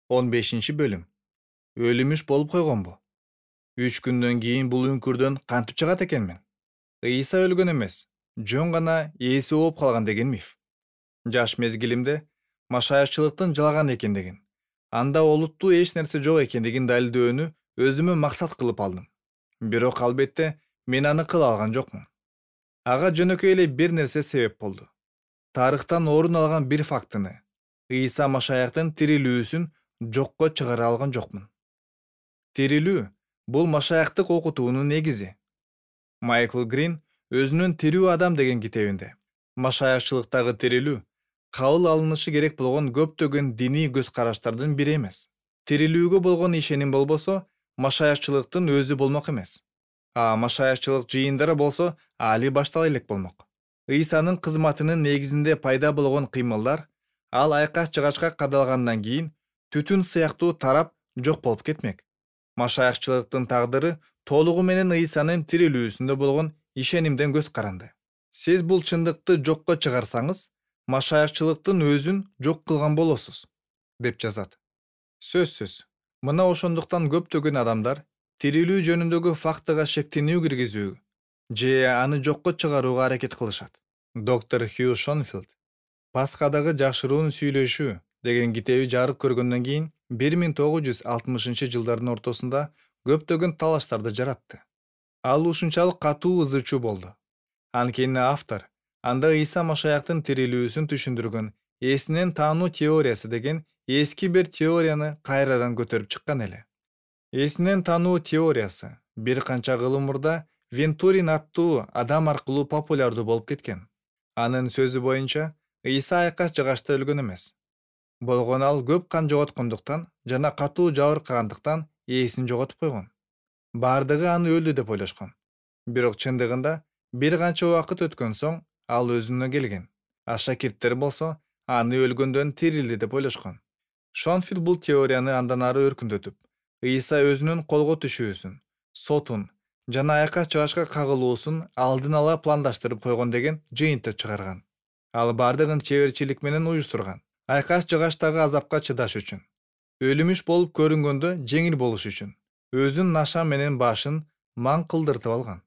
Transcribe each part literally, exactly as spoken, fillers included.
он бешинчи бөлүм. Өлүмүш болуп койгонбу? Үч күндөн кийин бул үңкүрдөн кантип чыгат экенмин? Ыйса өлгөн эмес, жөн гана ээси ооп калган деген миф. Жаш мезгилимде машаякчылыктын жалган экендигин, анда олуттуу эч нерсе жок экендигин далилдөөнү өзүмө максат кылып алдым. Бирок албетте мен аны кыла алган жокмун. Ага жөнөкөй эле бир нерсе себеп болду. Тарыхтан орун алган бир фактыны, Ыйса Машаяктын тирилүүсүн жокко чыгара алган жокмун. Тирилүү бул машаяктык окутуунун негизи. Майкл Грин өзүнүн «Тирүү адам» деген китебинде машаякчылыктагы тирилүү кабыл алынышы керек болгон көптөгөн диний көз караштардын бири эмес. Тирилүүгө болгон ишеним болбосо, машаякчылыктын өзү болмок эмес. А машаякчылык жыйындары болсо али баштала элек болмок. Ыйсанын кызматынын негизинде пайда болгон кыймылдар ал айкаш жыгачка кадалгандан кийин түтүн сыяктуу тарап жок болуп кетмек. Машаякчылыктын тагдыры толугу менен Ыйсанын тирилүүсүндө болгон ишенимден көз каранды. Сиз бул чындыкты жокко чыгарсаңыз, машаякчылыктын өзүн жок кылган болосуз, деп жазат. Сөзсүз, мына ошондуктан көптөгөн адамдар тирилүү жөнүндөгү фактыга шектенүү киргизүү же аны жокко чыгарууга аракет кылышат. Доктор Хью Шонфилд Пасхадагы жашыруун сүйлөшүү деген китеби жарык көргөндөн кийин бир миң тогуз жүз алтымышынчы жылдардын ортосунда көптөгөн талаштарды жаратты. Ал ушунчалык катуу ызычуу болду. Анткени автор анда Ыйса Машаяктын тирилүүсүн түшүндүргөн эсинен таануу теориясы деген эски бир теорияны кайрадан көтөрүп чыккан эле. Эсинен таануу теориясы бир канча кылым мурда Вентурин аттуу адам аркылуу популярдуу болуп кеткен. Анын сөзү боюнча, Ыйса айкаш жыгачта өлгөн эмес. Болгону ал көп кан жоготкондуктан жана катуу жабыркагандыктан ээсин жоготуп койгон. Бардыгы аны өлдү деп ойлошкон. Бирок чындыгында бир канча убакыт өткөн соң ал өзүнө келген. А шакирттер болсо аны өлгөндөн тирилди деп ойлошкон. Шонфилд бул теорияны андан ары өркүндөтүп, Ыйса өзүнүн колго түшүүсүн, сотун жана айкаш жыгачка кагылуусун алдын ала пландаштырып койгон деген жыйынтык чыгарган. Ал бардыгын чеберчилик менен уюштурган. Айкаш жыгачтагы азапка чыдаш үчүн, өлүмүш болуп көрүнгөндө жеңил болуш үчүн, өзүн наша менен башын маң кылдыртып алган.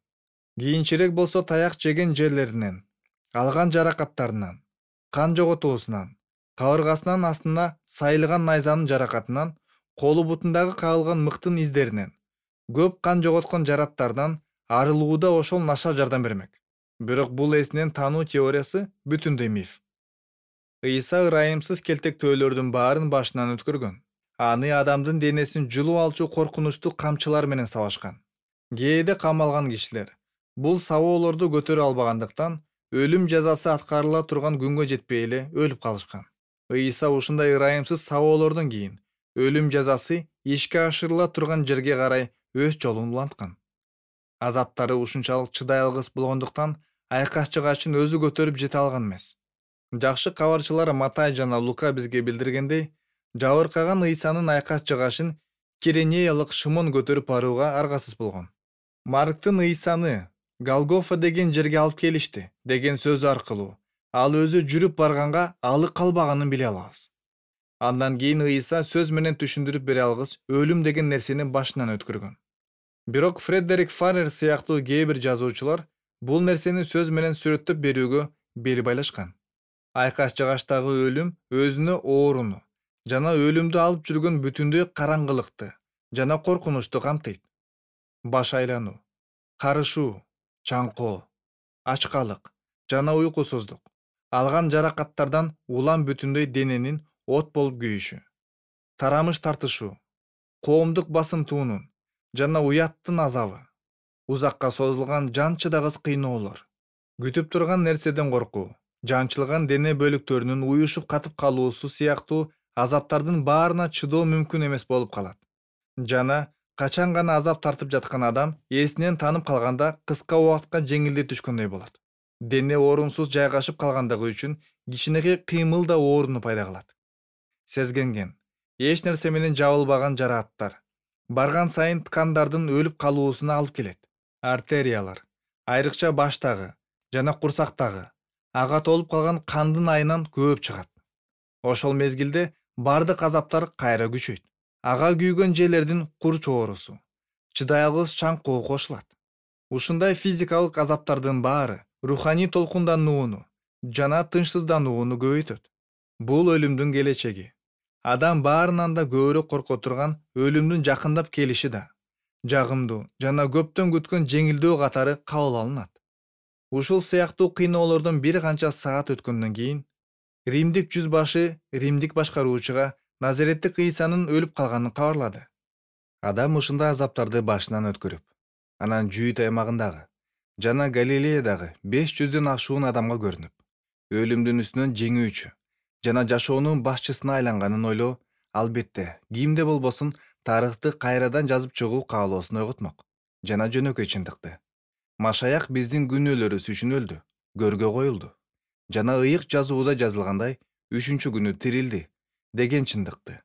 Кийинчерээк болсо таяк жеген жерлеринен, алган жаракаттарынан, кан жоготуусунан, кабыргасынын астына сайылган найзанын жаракатынан, колу бутундагы кагылган мыктын издеринен, көп кан жоготкон жараттардан арылууда ошол наша жардам бермек. Бирок бул эсинен таануу теориясы бүтүндөй миф. Ыйса ырайымсыз келтектөөлөрдүн баарын башынан өткөргөн. Аны адамдын денесин жулуп алчу коркунучтуу камчылар менен сабашкан. Кээде камалган кишилер бул сабоолорду көтөрө албагандыктан өлүм жазасы аткарыла турган күнгө жетпей эле өлүп калышкан. Ыйса ушундай ырайымсыз сабоолордон кийин өлүм жазасы ишке ашырыла турган жерге карай өз жолун уланткан. Азаптары ушунчалык чыдай алгыс болгондуктан айкаш жыгачын өзү көтөрүп жете алган эмес. Жакшы кабарчылар Матай жана Лука бизге билдиргендей, жабыркаган Ыйсанын айкаш жыгачын Киренеялык Шымон көтөрүп барууга аргасыз болгон. Марктын Ыйсаны Голгофа деген жерге алып келишти деген сөзү аркылуу ал өзү жүрүп барганга алы калбаганын биле алабыз. Андан кийин Ыйса сөз менен түшүндүрүп бере алгыс өлүм деген нерсени башынан өткөргөн. Бирок Фредерик Фаррер сыяктуу кээ бир жазуучулар бул нерсени сөз менен сүрөттөп берүүгө бел байлашкан. Айкаш жыгачтагы өлүм өзүнө ооруну жана өлүмдү алып жүргөн бүтүндөй караңгылыкты жана коркунучту камтыйт. Баш айлануу, карышуу, чаңкоо, ачкалык жана уйкусуздук, алган жаракаттардан улам бүтүндөй дененин от болуп күйүшү, тарамыш тартышуу, коомдук басынтуунун жана уяттын азабы, узакка созулган жан чыдагыс кыйноолор, күтүп турган нерседен коркуу, жанчылган дене бөлүктөрүнүн уюшуп катып калуусу сыяктуу азаптардын баарына чыдоо мүмкүн эмес болуп калат. Жана качан гана азап тартып жаткан адам эсинен танып калганда кыска убакытка жеңилдей түшкөндөй болот. Дене орунсуз жайгашып калгандыгы үчүн кичинекей кыймыл да ооруну пайда кылат. Сезгенген, эч нерсе менен жабылбаган жарааттар барган сайын ткандардын өлүп калуусуна алып келет. Артериялар, айрыкча баштагы жана курсактагы ага толуп калган кандын айынан көөп чыгат. Ошол мезгилде бардык азаптар кайра күчөйт. Ага күйгөн жерлердин кур чоорусу, чыдай алгыс чаңкоо кошулат. Ушундай физикалык азаптардын баары руханий толкунданууну жана тынчсызданууну көбөйтөт. Бул өлүмдүн келечеги. Адам баарынан да көбүрөөк корко турган өлүмдүн жакындап келиши да жагымдуу жана көптөн күткөн жеңилдөө катары кабыл алынат. Ушул сыяктуу кыйноолордон бир канча саат өткөндөн кийин Римдик жүз башы Римдик башкаруучуга Назареттик Ыйсанын өлүп калганын кабарлады. Адам ушундай азаптарды башынан өткөрүп, анан Жүйүт аймагындагы жана Галилеядагы беш жүздөн ашуун адамга көрүнүп, өлүмдүн үстүнөн жеңүүчү жана жашоонун башчысына айланганын ойлоо, албетте, кимде болбосун тарыхты кайрадан жазып чыгуу каалоосун ойготмок жана жөнөкөй чындыкты. Машаяк биздин күнөөлөрүбүз үчүн өлдү, көргө коюлду жана ыйык жазууда жазылгандай үчүнчү күнү тирилди деген чындыкты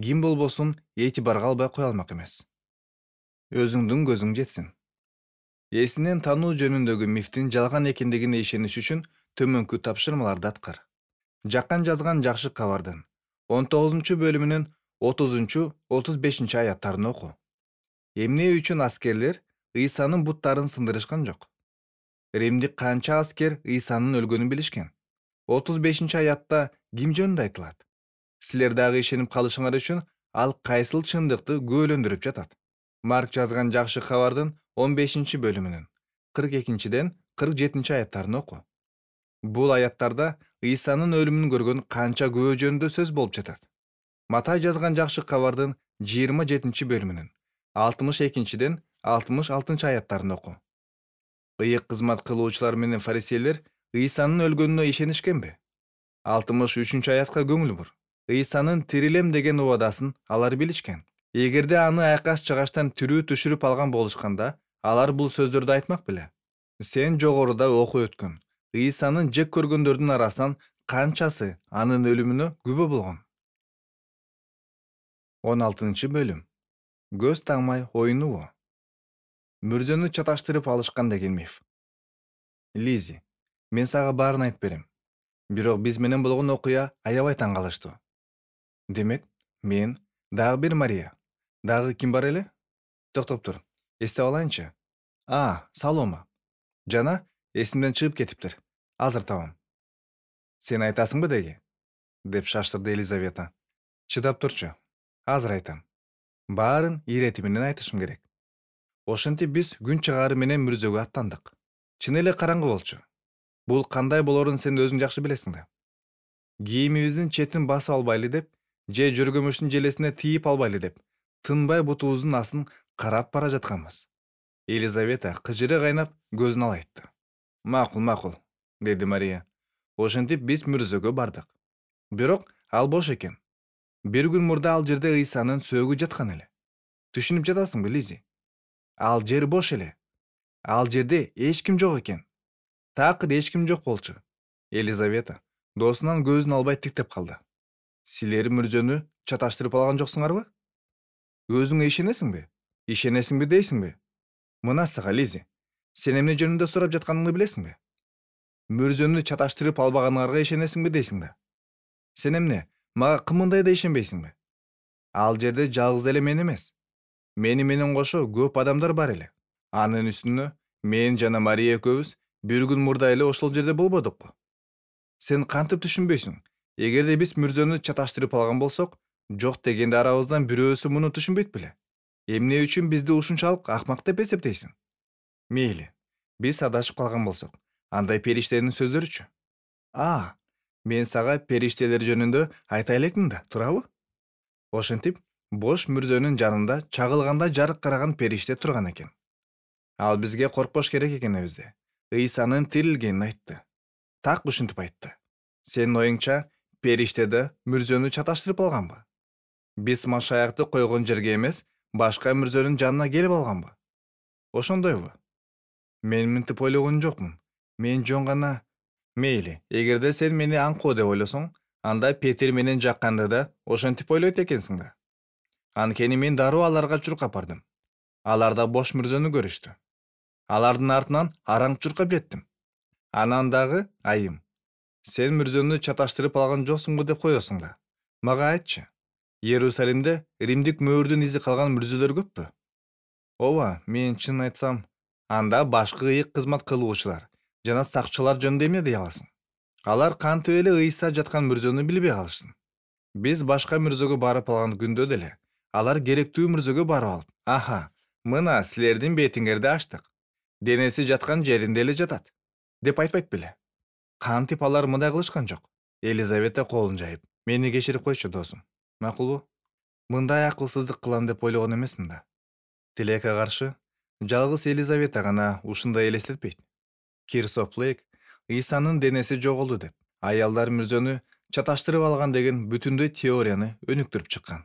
ким болбосун этибарга албай кое алмак эмес. Өзүңдүн көзүң жетсин. Эсинен тануу жөнүндөгү мифтин жалган экендигине ишениш үчүн төмөнкү тапшырмаларды аткар. Жаккан жазган жакшы кабардын он тогузунчу бөлүмүнүн отузунчу отуз бешинчи аяттарын оку. Эмне үчүн аскерлер Ыйсанын буттарын сындырышкан жок? Римдик канча аскер Ыйсанын өлгөнүн билишкен? отуз бешинчи аятта ким жөнүндө айтылат? Силер дагы ишенип калышыңар үчүн ал кайсыл чындыкты күбөлөндүрүп жатат? Марк жазган жакшы кабардын он бешинчи бөлүмүнүн кырк экинчиден кырк жетинчи аяттарын оку. Бул аяттарда Ыйсанын өлүмүн көргөн канча күбө жөнүндө сөз болуп жатат. Матай жазган жакшы кабардын жыйырма жетинчи бөлүмүнүн алтымыш экинчиден алтымыш алтынчы аяттарын оку. Ыйык кызмат кылуучулар менен фарисейлер Ыйсанын өлгөнүнө ишенишкенби? алтымыш үчүнчү аятка көңүл бур. Ыйсанын тирилем деген убадасын алар билишкен. Эгерде аны айкас чыгаштан тирүү түшүрүп алган болушканда, алар бул сөздөрдү айтмак беле. Сен жогоруда окуп өткөн Ыйсанын жек көргөндөрдүн арасынан канчасы анын өлүмүнө күбө болгон? он алтынчы бөлүм. Көз таңмай оюнуу. Мүрзөнү чаташтырып алышкан деген миф. Лизи, мен сага баарын айтып берем. Бирок биз менен болгон окуя аябай таң калыштуу. Демек, мен, дагы бир Мария, дагы ким бар эле? Токтоп тур, эстеп алайынчы. А, Салома. Жана эсимден чыгып кетиптир. Азыр табам. Сен айтасыңбы деги? Деп шаштырды Елизавета. Чыдап турчу. Азыр айтам. Баарын ирети менен айтышым керек. Ошентип биз күн чыгаары менен мүрзөгө аттандык. Чын эле караңгы болчу. Бул кандай болорун сен өзүң жакшы билесиң да. Кийимибиздин четин басып албайлы деп, же жөргөмүштүн желесине тийип албайлы деп, тынбай бутубуздун астын карап бара жатканбыз. Елизавета кыжыры кайнап көзүн алайтты. Макул, макул, деди Мария. Ошентип биз мүрзөгө бардык. Бирок ал бош экен. Бир күн мурда ал жерде Ыйсанын сөөгү жаткан эле. Түшүнүп жатасыңбы, Лизи? Ал жер бош эле. Ал жерде эч ким жок экен. Такыр эч ким жок болчу. Елизавета досунан көзүн албай тиктеп калды. Силер мүрзөнү чаташтырып алган жоксуңарбы? Өзүңө ишенесиңби? Ишенесиңби дейсиңби? Мына сага, Лизи, сен эмне жөнүндө сурап жатканыңды билесиңби? Мүрзөнү чаташтырып албаганыңарга ишенесиңби дейсиң да? Сен эмне, мага кымындай да ишенбейсиңби? Ал жерде жалгыз эле мен эмес. Мени менен кошо көп адамдар бар эле. Анын үстүнө мен жана Мария экөөбүз бир күн мурда эле ошол жерде болбодукпу? Сен кантип түшүнбөйсүң? Эгерде биз мүрзөнү чаташтырып алган болсок, жок дегенде арабыздан бирөөсү муну түшүнбөйт беле? Эмне үчүн бизди ушунчалык акмак деп эсептейсиң? Мейли, биз адашып калган болсок, андай периштенин сөздөрүчү? А, мен сага периштелер жөнүндө айта элекмин да, туурабы? Ошентип, бош мүрзөнүн жанында чагылганда жарык караган периште турган экен. Ал бизге коркпош керек экенибизди, Ыйсанын тирилгенин айтты. Так ушинтип айтты. Сенин оюңча, периштеде мүрзөнү чаташтырып алганбы? Биз Машаякты койгон жерге эмес, башка мүрзөнүн жанына келип алганбы? Ошондойбу? Мен мынтип ойлогон жокмун. Мен жөн гана... Мейли, эгерде сен мени аңкоо деп ойлосоң, анда Петир менен жакканда да ошентип ойлойт экенсиң да. Анткени мен дароо аларга чуркап бардым. Алар да бош мүрзөнү көрүштү. Алардын артынан араң чуркап жеттим. Анан дагы айым. Сен мүрзөнү чаташтырып алган жоксуңбу деп коесуң да. Мага айтчы, Иерусалимде римдик мөөрдүн изи калган мүрзөлөр көппү? Ооба, мен чын айтсам, анда башкы ыйык кызмат кылуучулар жана сакчылар жөнүндө эмне дей аласың? Алар кантип эле ыйса жаткан мүрзөнү билбей калышсын. Биз башка мүрзөгө барып алган күндө деле алар керектүү мүрзөгө барып алып, аха, мына силердин бетиңерди ачтык. Денеси жаткан жеринде эле жатат, деп айтпайт беле? Кантип алар мындай кылышкан жок? Елизавета колун жайып, мени кечирип койчу досум. Макулбу? Мындай акылсыздык кылам деп ойлогон эмесмин да. Тилекке каршы, жалгыз Елизавета гана ушундай элестетпейт. Кирсоплейк Ыйсанын денеси жоголду деп, аялдар мүрзөнү чаташтырып алган деген бүтүндөй теорияны өнүктүрүп чыккан.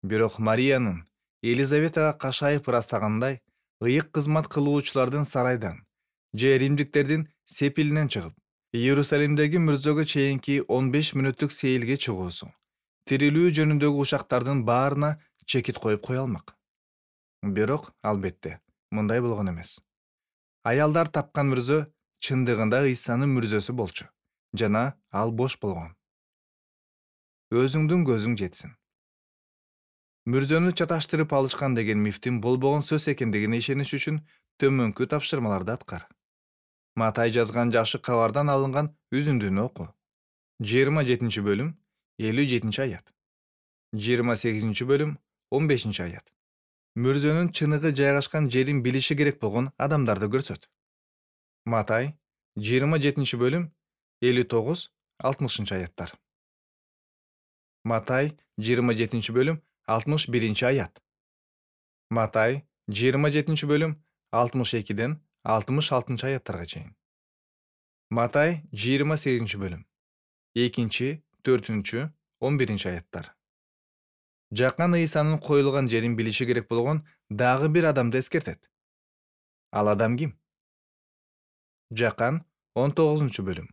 Бирок Мариянын Елизаветага кашайып ырастагандай, ыйык кызмат кылуучулардын сарайдан же римдиктердин сепилинен чыгып, Иерусалимдеги мүрзөгө чейинки он беш мүнөттүк сейилге чыгуусу, тирилүү жөнүндөгү учактардын баарына чекит коюп кое алмак. Бирок, албетте, мындай болгон эмес. Аялдар тапкан мүрзө чындыгында Ыйсанын мүрзөсү болчу, жана ал бош болгон. Өзүңдүн көзүң жетсин. Мүрзөнү чаташтырып алышкан деген мифтин болбогон сөз экендигине ишениш үчүн төмөнкү тапшырмаларды аткар. Матай жазган жакшы кабардан алынган үзүндүнү оку. жыйырма жетинчи бөлүм, элүү жетинчи аят. жыйырма сегизинчи бөлүм, он бешинчи аят. Мүрзөнүн чыныгы жайгашкан жерин билиши керек болгон адамдарды көрсөт. Матай жыйырма жетинчи бөлүм, элүү тогуз алтымышынчы аяттар. Матай жыйырма жетинчи бөлүм, алтымыш биринчи аят. Матай жыйырма жетинчи бөлүм, алтымыш экиден алтымыш алтынчы аяттарга чейин. Матай жыйырма сегизинчи бөлүм, экинчи, төртүнчү, он биринчи аяттар. Жакан Ыйсанын коюлган жерин билиши керек болгон дагы бир адамды эскертет. Ал адам ким? Жакан он тогузунчу бөлүм,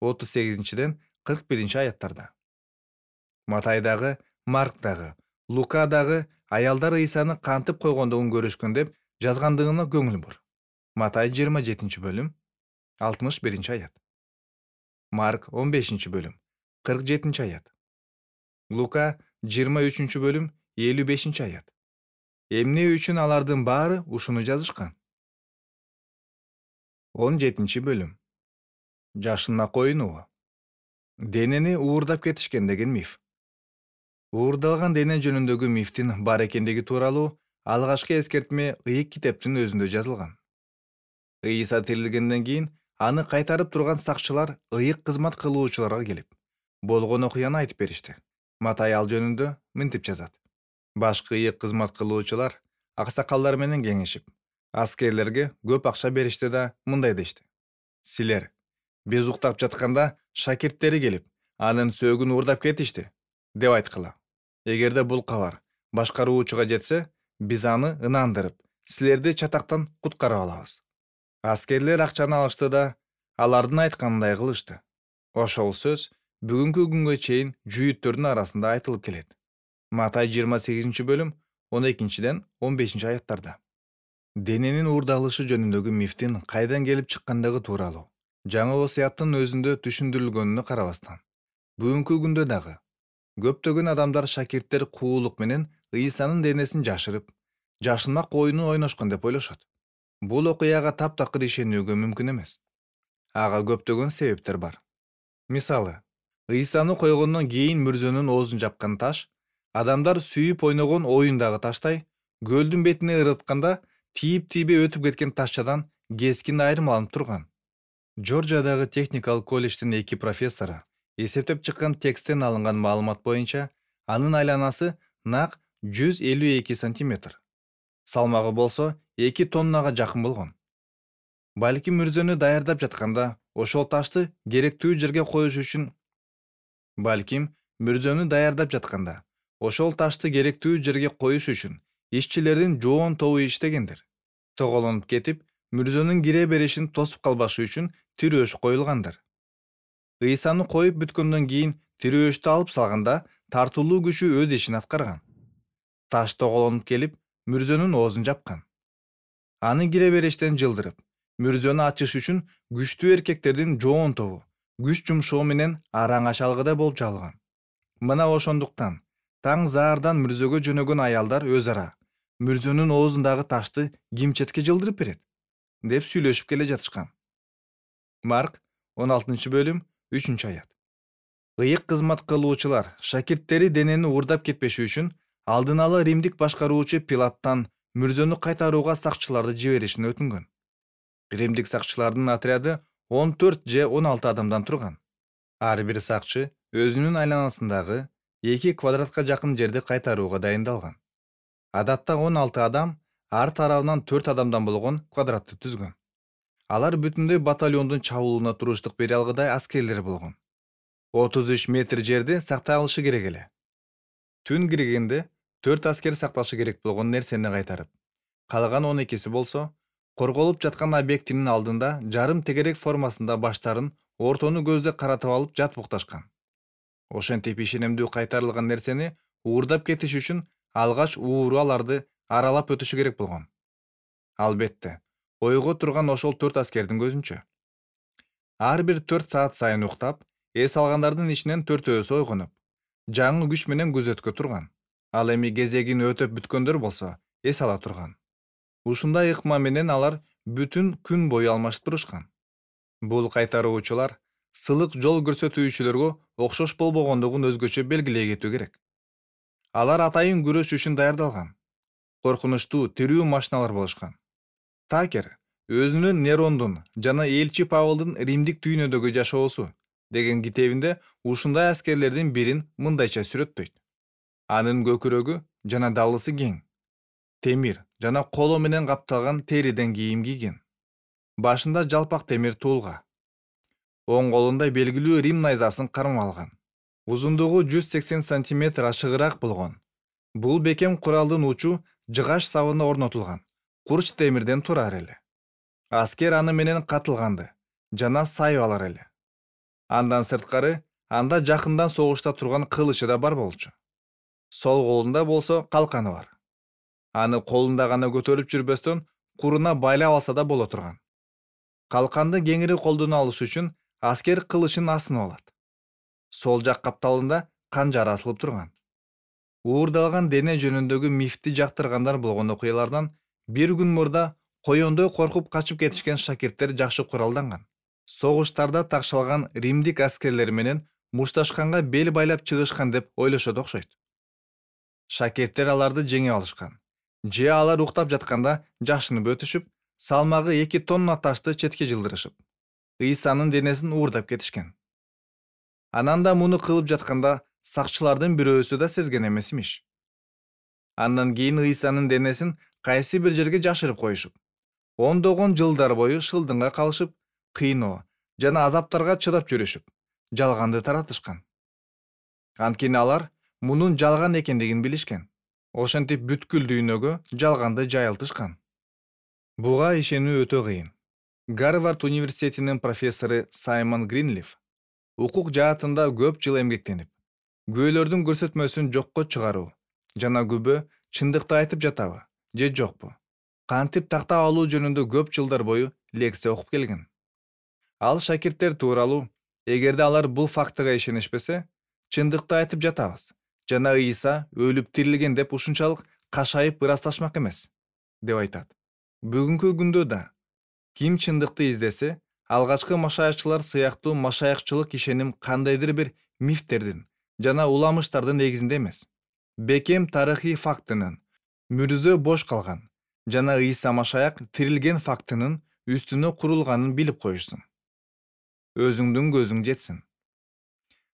отуз сегизинчиден кырк биринчи аяттарда. Матайдагы, Марктагы, Лукадагы аялдар Ыйсаны кантип койгондугун көрүшкөн деп жазгандыгына көңүл бур. Матай жыйырма жетинчи бөлүм, алтымыш биринчи аят. Марк он бешинчи бөлүм, кырк жетинчи аят. Лука жыйырма үчүнчү бөлүм, элүү бешинчи аят. Эмне үчүн алардын баары ушуну жазышкан? он жетинчи бөлүм. Жашына коюнуу. Денени уурдап кетишкен деген миф. Уурдалган дене жөнүндөгү мифтин бар экендиги тууралуу алгачкы эскертме ыйык китептин өзүндө жазылган. Ыйса тирилгенден кийин аны кайтарып турган сакчылар ыйык кызмат кылуучуларга келип, болгон окуяны айтып беришти. Матай ал жөнүндө мынтип жазат. Башкы ыйык кызмат кылуучулар аксакалдар менен кеңешип, аскерлерге көп акча беришти да мындай дешти. Силер, биз уктап жатканда шакирттери келип, анын сөөгүн уурдап кетишти, деп айткыла. Эгерде бул кабар башкаруучуга жетсе, биз аны ынандырып, силерди чатактан куткарып алабыз. Аскерлер акчаны алышты да, алардын айтканындай кылышты. Ошол сөз бүгүнкү күнгө чейин жүйүттөрдүн арасында айтылып келет. Матай жыйырма сегизинчи бөлүм, он экинчиден он бешинчи аяттарда. Дененин уурдалышы жөнүндөгү мифтин кайдан келип чыккандыгы тууралуу жаңы осуяттын өзүндө түшүндүрүлгөнүнө карабастан, бүгүнкү күндө дагы көптөгөн адамдар шакирттер куулук менен Ыйсанын денесин жашырып, жашынмак оюнун ойношкон деп ойлошот. Бул окуяга таптакыр ишенүүгө мүмкүн эмес. Ага көптөгөн себептер бар. Мисалы, Ыйсаны койгондон кийин мүрзөнүн оозун жапкан таш, адамдар сүйүп ойногон оюндагы таштай, көлдүн бетине ырытканда тийип-тийбей өтүп кеткен ташчадан кескин айрым алынып турган. Жоржиядагы техникалык колледждин эки профессору эсептеп чыккан тексттен алынган маалымат боюнча, анын айланасы нак жүз элүү эки сантиметр. Салмагы болсо эки тоннага жакын болгон. Балким мүрзөнү даярдап жатканда ошол ташты керектүү жерге коюш үчүн Балким мүрзөнү даярдап жатканда ошол ташты керектүү жерге коюш үчүн ишчилердин жоон тобу иштегендир. Тоголонуп кетип, мүрзөнүн кире беришин тосуп калбашы үчүн тирөөш коюлгандыр. Ыйсаны коюп бүткөндөн кийин тирөөштү алып салганда тартуулуу күчү өз ишин аткарган. Таш тоголонуп келип, мүрзөнүн оозун жапкан. Аны кире бериштен жылдырып, мүрзөнү ачыш үчүн күчтүү эркектердин жоон тобу күч жумшоо менен араң ачалгыда болуп чалган. Мына ошондуктан таң заардан мүрзөгө жөнөгөн аялдар өз ара мүрзөнүн оозундагы ташты ким четке жылдырып берет деп сүйлөшүп келе жатышкан. Марк он алтынчы бөлүм үчүнчү аят. Ыйык кызмат кылуучулар шакирттери денени уурдап кетпеши үчүн алдын ала римдик башкаруучу Пилаттан мүрзөнү кайтарууга сакчыларды жиберишин өтүнгөн. Римдик сакчылардын отряды он төрт же он алты адамдан турган. Ар бир сакчы өзүнүн айланасындагы эки квадратка жакын жерди кайтарууга дайындалган. Адатта он алты адам ар тарабынан төрт адамдан болгон квадратты түзгөн. Алар бүтүндөй батальондун чабуулуна туруштук бере алгыдай аскерлер болгон. отуз үч метр жерди сактай алышы керек эле. Түн киргенде төрт аскер сакташы керек болгон нерсени кайтарып, калган он экиси болсо корголуп жаткан объектинин алдында жарым тегерек формасында баштарын ортону көздө каратып алып жатып укташкан. Ошентип ишенимдүү кайтарылган нерсени уурдап кетиш үчүн алгач ууру аларды аралап өтүшү керек болгон. Албетте, ойго турган ошол төрт аскердин көзүнчө. Ар бир төрт саат сайын уктап, эс алгандардын ичинен төртөөсү ойгонуп, жаңы күч менен күзөткө турган. Ал эми кезегин өтөп бүткөндөр болсо эс ала турган. Ушундай ыкма менен алар бүтүн күн бою алмашып турушкан. Бул кайтаруучулар сылык жол көрсөтүүчүлөргө окшош болбогондугун өзгөчө белгилей кетүү керек. Алар атайын күрөш үчүн даярдалган. Коркунучтуу тирүү машиналар болушкан. Такер өзүнүн Нерондун жана элчи Павлдын Римдик дүйнөдөгү жашоосу деген китебинде ушундай аскерлердин бирин мындайча сүрөттөйт. Анын көкүрөгү жана далысы кең, темир жана коло менен капталган териден кийим кийген. Башында жалпак темир туулга. Оң колунда белгилүү Рим найзасын кармап алган. Узундугу жүз сексен сантиметр ашыгыраак болгон. Бул бекем куралдын учу жыгач сабына орнотулган. Курч темирден турар эле. Аскер аны менен катылганды жана сайып алар эле. Андан сырткары анда жакындан согушта турган кылычы да бар болчу. Сол колунда болсо калканы бар. Аны колунда гана көтөрүп жүрбөстөн куруна байлап алса да боло турган. Калканды кеңири колдоно алыш үчүн аскер кылычын асынып алат. Сол жак капталында канжар асылып турган. Уурдалган дене жөнүндөгү мифти жактыргандар болгон окуялардан бир күн мурда коёндой коркуп качып кетишкен шакирттер жакшы куралданган. Согуштарда такшалган римдик аскерлер менен мушташканга бел байлап чыгышкан деп ойлошот окшойт. Шакирттер аларды жеңип алышкан. Же алар уктап жатканда жашынып өтүшүп, салмагы эки тонна ташты четке жылдырышып, Ыйсанын денесин уурдап кетишкен. Анан да муну кылып жатканда сакчылардын бирөөсү да сезген эмес имиш. Андан кийин Ыйсанын денесин кайсы бир жерге жашырып коюшуп, ондогон жылдар бою шылдыңга калышып, кыйноо жана азаптарга чыдап жүрүшүп, жалганды таратышкан. Анткени алар мунун жалган экендигин билишкен. Ошентип бүткүл дүйнөгө жалганды жайылтышкан. Буга ишенүү өтө кыйын. Гарвард университетинин профессору Саймон Гринлиф укук жаатында көп жыл эмгектенип, күбөлөрдүн көрсөтмөсүн жокко чыгаруу жана күбө чындыкты айтып жатабы же жокпу, кантип тактап алуу жөнүндө көп жылдар бою лекция окуп келген. Ал шакирттер тууралуу, эгерде алар бул фактыга ишенишпесе, чындыкты айтып жатабыз жана Ыйса өлүп тирилген деп ушунчалык кашайып ырасташмак эмес, деп айтат. Бүгүнкү күндө да ким чындыкты издесе, алгачкы машаякчылар сыяктуу машаякчылык ишеним кандайдыр бир мифтердин жана уламыштардын негизинде эмес, бекем тарыхый фактынын, мүрзө бош калган жана Ыйса машаяк тирилген фактынын үстүнө курулганын билип коюшсун. Өзүңдүн көзүң жетсин.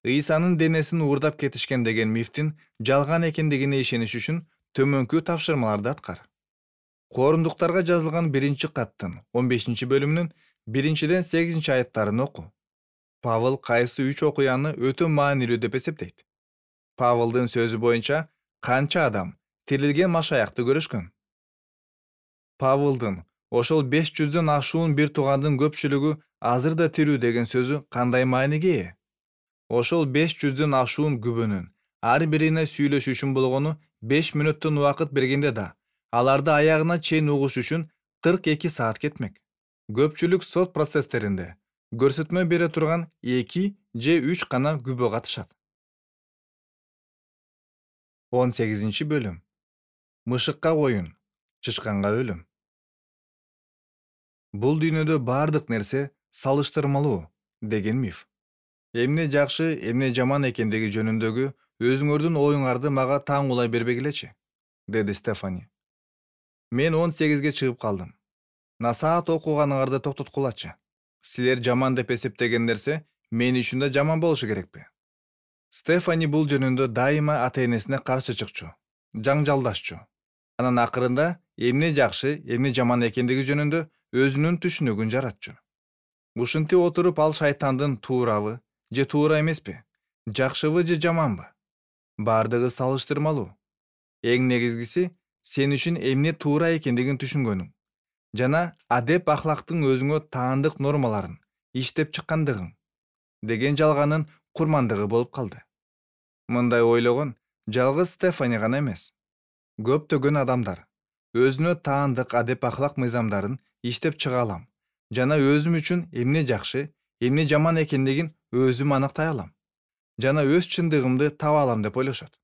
Ыйсанын денесин уурдап кетишкен деген мифтин жалган экендигине ишениш үчүн төмөнкү тапшырмаларды аткар. Коорундуктарга жазылган биринчи каттын он бешинчи бөлүмүнүн биринчиден сегизинчи аяттарын оку. Павыл кайсы үч окуяны өтө маанилүү деп эсептейт. Павылдын сөзү боюнча канча адам тирилген машаякты көрүшкөн? Павылдын ошол беш жүздөн ашуун бир туугандын көпчүлүгү азыр да тирүү деген сөзү кандай мааниге ээ? Ошол беш жүздөн ашуун күбөнүн ар бирине сүйлөшүү үчүн болгону беш мүнөттөн убакыт бергенде да, аларды аягына чейин угуш үчүн кырк эки саат кетмек. Көпчүлүк сот процесстеринде көрсөтмө бере турган эки же үч гана күбө катышат. он сегизинчи бөлүм. Мышыкка оюн, чычканга өлүм. Бул дүйнөдө бардык нерсе салыштырмалуу деген миф. Эмне жакшы, эмне жаман экендиги жөнүндөгү өзүңөрдүн оюңарды мага таңуулай бербегилечи, деди Стефани. Мен он сегизге чыгып калдым. Насаат окуганыңарды токтоткулачы. Силер жаман деп эсептеген нерсе мен үчүн да жаман болушу керекпи? Стефани бул жөнүндө дайыма ата-энесине каршы чыкчу, жаңжалдашчу. Анан акырында эмне жакшы, эмне жаман экендиги жөнүндө өзүнүн түшүнүгүн жаратчу. Ушинтип отуруп ал шайтандын туурабы же туура эмеспи, жакшыбы же жаманбы? Бардыгы салыштырмалуу. Эң негизгиси сен үчүн эмне туура экендигин түшүнгөнүң жана адеп ахлактын өзүңө таандык нормаларын иштеп чыккандыгың деген жалганын курмандыгы болуп калды. Мындай ойлогон жалгыз Стефани гана эмес. Көптөгөн адамдар өзүнө таандык адеп ахлак мыйзамдарын иштеп чыга алам жана өзүм үчүн эмне жакшы, эмне жаман экендигин өзүм аныктай алам жана өз чындыгымды таба алам деп ойлошот.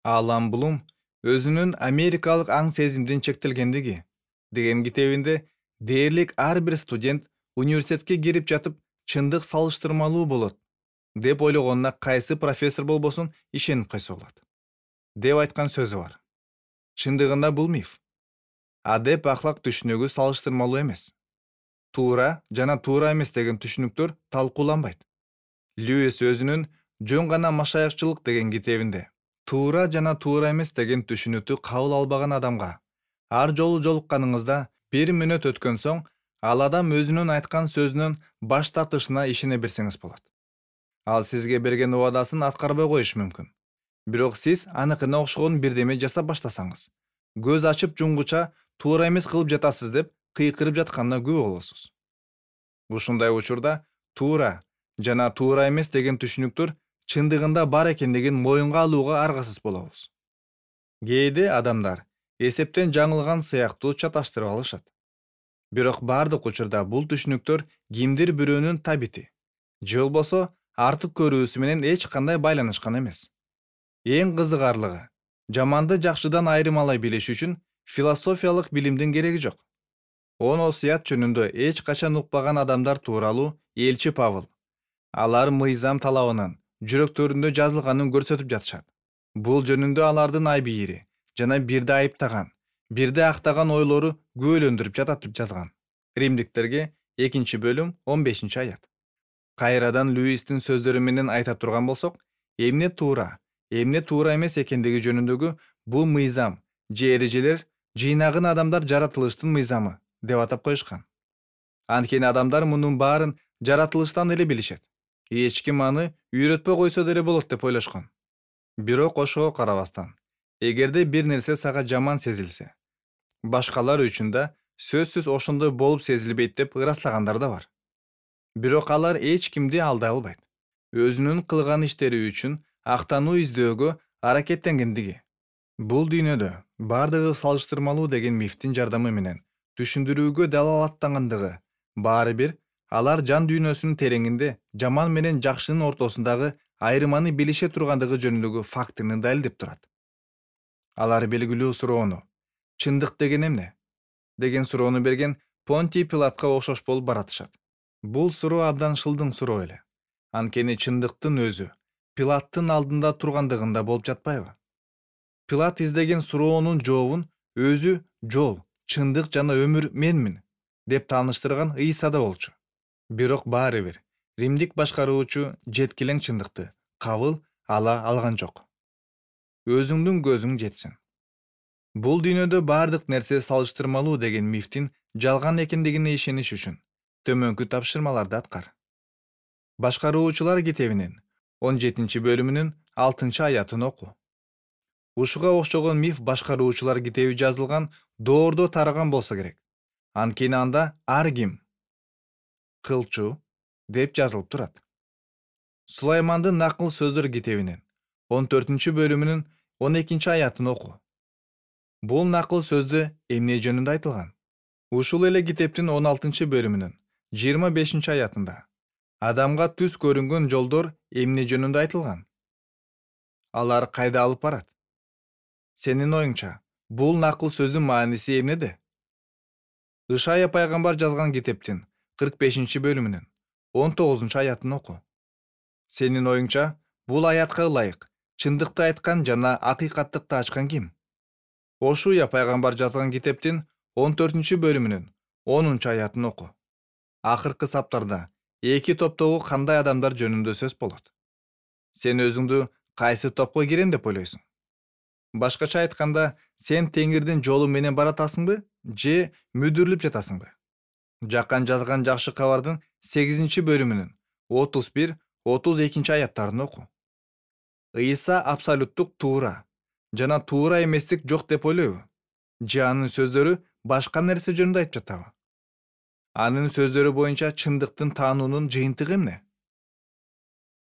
Алан Блум өзүнүн Америкалык аң сезимдин чектелгендиги деген китебинде дээрлик ар бир студент университетке кирип жатып чындык салыштырмалуу болот деп ойлогонуна кайсы профессор болбосун ишенип койсо болот деп айткан сөзү бар. Чындыгында бул миф. Адеп ахлак түшүнүгү салыштырмалуу эмес. Туура жана туура эмес деген түшүнүктөр талкууланбайт. Льюис өзүнүн жөн гана машаякчылык деген китебинде туура жана туура эмес деген түшүнүктү кабыл албаган адамга ар жолу жолукканыңызда бир мүнөт өткөн соң ал адам өзүнүн айткан сөзүнөн баш тартышына ишене берсеңиз болот. Ал сизге берген убадасын аткарбай коюшу мүмкүн. Бирок сиз аныкына окшогон бирдеме жасап баштасаңыз, көз ачып жумгуча туура эмес кылып жатасыз деп кыйкырып жатканына күбө болосуз. Ушундай учурда туура жана туура эмес деген түшүнүктөр чындыгында бар экендигин моюнга алууга аргасыз болобуз. Кээде адамдар эсептен жаңылган сыяктуу чаташтырып алышат. Бирок бардык учурда бул түшүнүктөр кимдир бирөөнүн табити же болбосо артык көрүүсү менен эч кандай байланышкан эмес. Эң кызыгарлыгы, жаманды жакшыдан айырмалай билиш үчүн философиялык билимдин кереги жок. Он осуят жөнүндө эч качан укпаган адамдар тууралуу элчи Павыл алар мыйзам талабынын жүрөктөрүндө жазылганын көрсөтүп жатышат. Бул жөнүндө алардын айбийири жана бирди айыптаган, бирди актаган ойлору күбөлөндүрүп жатат деп жазган. Римдиктерге экинчи бөлүм он бешинчи аят. Кайрадан Льюистин сөздөрү менен айта турган болсок, эмне туура, эмне туура эмес экендиги жөнүндөгү бул мыйзам же эрежелер жыйнагын адамдар жаратылыштын мыйзамы деп атап коюшкан. Анткени адамдар мунун баарын жаратылыштан эле билишет. Эч ким аны үйрөтпөй койсо деле болот деп ойлошкон. Бирок ошого карабастан, эгерде бир нерсе сага жаман сезилсе, башкалар үчүн да сөзсүз ошондой болуп сезилбейт деп ыраслагандар да бар. Бирок алар эч кимди алдай албайт. Өзүнүн кылган иштери үчүн актануу издөөгө аракеттенгендиги. Бул дүйнөдө бардыгы салыштырмалуу деген мифтин жардамы менен түшүндүрүүгө далалаттангандыгы баары бир алар жан дүйнөсүнүн тереңинде жаман менен жакшынын ортосундагы айырманы билише тургандыгы жөнүндөгү фактыны далилдеп турат. Алар белгилүү суроону «Чындык деген эмне?» деген суроону берген Понтий Пилатка окшош болуп баратышат. Бул суроо абдан шылдың суроо эле. Анткени чындыктын өзү Пилаттын алдында тургандыгында болуп жатпайбы? Пилат издеген суроонун жообун өзү жол, чындык жана өмүр менмин деп тааныштырган Ыйсада болчу. Бирок баары бир римдик башкаруучу жеткилең чындыкты кабыл ала алган жок. Өзүңдүн көзүң жетсин. Бул дүйнөдө бардык нерсе салыштырмалуу деген мифтин жалган экендигине ишениш үчүн төмөнкү тапшырмаларды аткар. Башкаруучулар китебинин он жетинчи бөлүмүнүн алтынчы аятын оку. Ушуга окшогон миф башкаруучулар китеби жазылган доордо тараган болсо керек. Анткени анда ар ким кылчу деп жазылып турат. Сулаймандын накыл сөздөр китебинин он төртүнчү бөлүмүнүн он экинчи аятын оку. Бул накыл сөздө эмне жөнүндө айтылган? Ушул эле китептин он алтынчы бөлүмүнүн жыйырма бешинчи аятында адамга түз көрүнгөн жолдор эмне жөнүндө айтылган? Алар кайда алып барат? Сенин оюңча, бул накыл сөздүн мааниси эмнеде? Ышая пайгамбар жазган китептин кырк бешинчи бөлүмүнүн он тогузунчу аятын оку. Сенин оюңча, бул аятка ылайык чындыкты айткан жана акыйкаттыкты ачкан ким? Ошуя пайгамбар жазган китептин он төртүнчү бөлүмүнүн онунчу аятын оку. Акыркы саптарда эки топтогу кандай адамдар жөнүндө сөз болот? Сен өзүңдү кайсы топко кирем деп ойлойсуң? Башкача айтканда, сен Теңирдин жолу менен баратасыңбы, же мүдүрүлүп жатасыңбы? Жакан жазган жакшы кабардын сегизинчи бөлүмүнүн отуз бир отуз экинчи аяттарын оку. Ыйса абсолюттук туура жана туура эместик жок деп ойлойбу? Же анын сөздөрү башка нерсе жөнүндө айтып жатабы? Анын сөздөрү боюнча чындыктын таануунун жыйынтыгы эмне?